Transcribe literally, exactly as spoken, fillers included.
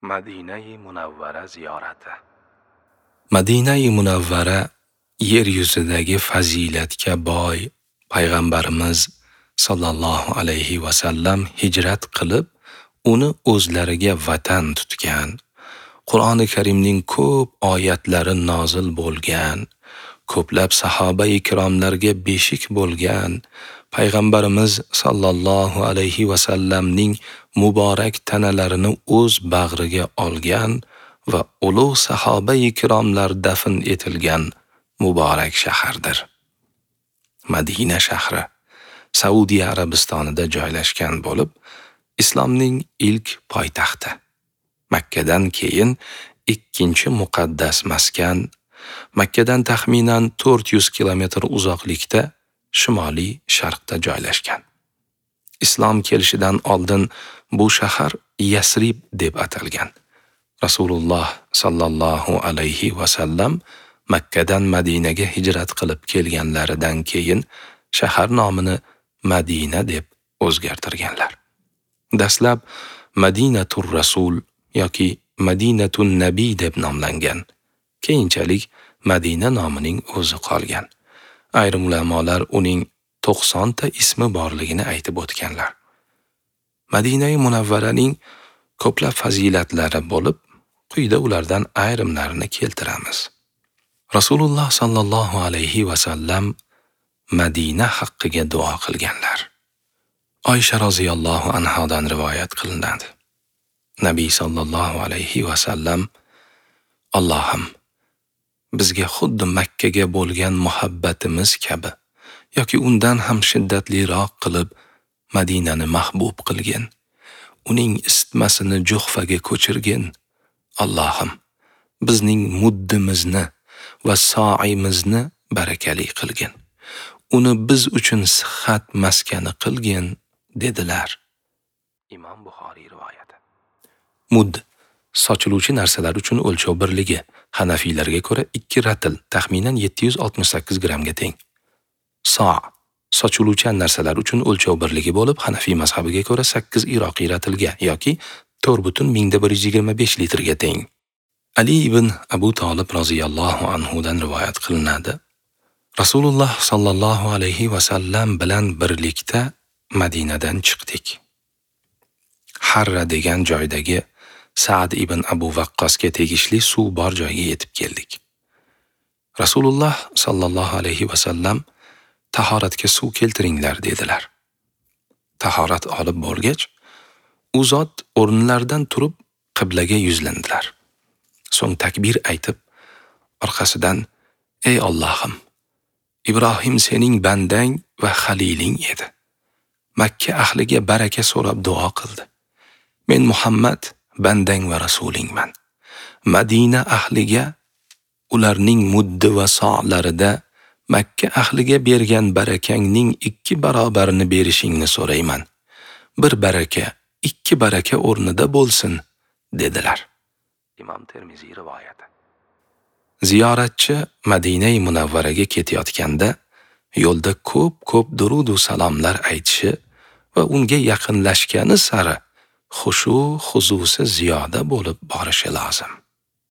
Madinai Munavvara ziyorati. Madinai Munavvara yer yuzidagi fazilatga boy payg'ambarimiz sallallohu alayhi va sallam hijrat qilib, uni o'zlariga vatan tutgan, Qur'oni Karimning ko'p oyatlari nozil bo'lgan, ko'plab sahoba-i kiromlarga beshik bo'lgan payg'ambarimiz sallallohu alayhi va sallamning muborak tanalarini o'z bag'riga olgan va ulug' sahoba-i kiromlar dafn etilgan muborak shahardir. Madina shahri Saudiya Arabistonida joylashgan bo'lib, islomning ilk poytaxti. Makkadan keyin ikkinchi muqaddas maskan, Makkadan taxminan to'rt yuz kilometr uzoqlikda shimoliy sharqda joylashgan. Islom kelishidan oldin bu shahar Yasrib deb atalgan. Rasululloh sallallohu alayhi va sallam Makkadan Madinaga hijrat qilib kelganlaridan keyin shahar nomini Madina deb o'zgartirganlar. Dastlab Madinatur Rasul yoki Madinatun Nabiy deb nomlangan. Keyinchalik Madina nomining o'zi qolgan. Ayrim ulamolar uning to'qson ta ismi borligini aytib o'tganlar. Madinai Munavvaraning ko'plab fazilatlari bo'lib, quyida ulardan ayrimlarini keltiramiz. Rasululloh sallallohu alayhi va sallam Madina haqqiga duo qilganlar. Oysha roziyallohu anhodan rivoyat qilinadi. Nabiy sallallohu alayhi va sallam: Allohim, bizga xuddi Makkaga bo'lgan muhabbatimiz kabi yoki undan ham shiddatliroq qilib Madinani mahbub qilgin. Uning isitmasini Juhfaga ko'chirgin. Allohim, bizning muddimizni va so'imizni barakali qilgin. Uni biz uchun sihat maskani qilgin, dedilar. Imom Buxoriy rivoyati. Mud sochiluvchi narsalar uchun o'lchov birligi. Hanafiylarga ko'ra ikki ratl taxminan yetti yuz oltmish sakkiz grammga teng. So' sochiluvchan narsalar uchun o'lchov birligi bo'lib, Hanafiy mazhabiga ko'ra sakkiz iroqiy ratlga yoki to'rt butun mingda bir yuz yigirma besh litrga teng. Ali ibn Abu Talib roziyallohu anhu dan rivoyat qilinadi. Rasululloh sallallohu alayhi va sallam bilan birlikda Madinadan chiqdik. Harra degan joydagi Sa'd ibn Abu Waqqasga tegishli suv bor joyga yetib keldik. Rasululloh sallallohu alayhi va sallam tahoratga suv keltiringlar dedilar. Tahorat olib bo'lgach, u zot o'rinlaridan turib qiblaga yuzlandilar. So'ng takbir aytib, orqasidan: Ey Allohim, Ibrohim sening bandang va xaliling edi. Makka ahliga baraka so'rab duo qildi. Men Muhammad bandang va rasulingman. Madina ahliga ularning muddi va so'larida Makka ahliga bergan barakangning ikki barobarini berishingni so'rayman. Bir baraka ikki baraka o'rnida bo'lsin, dedilar. Imom Termiziy rivoyati. Ziyoratchi Madinai Munavvaraga ketayotganda yo'lda ko'p-ko'p durud va salomlar aytishi va unga yaqinlashgani sari xushu xuzusi ziyoda bo'lib borishi lozim.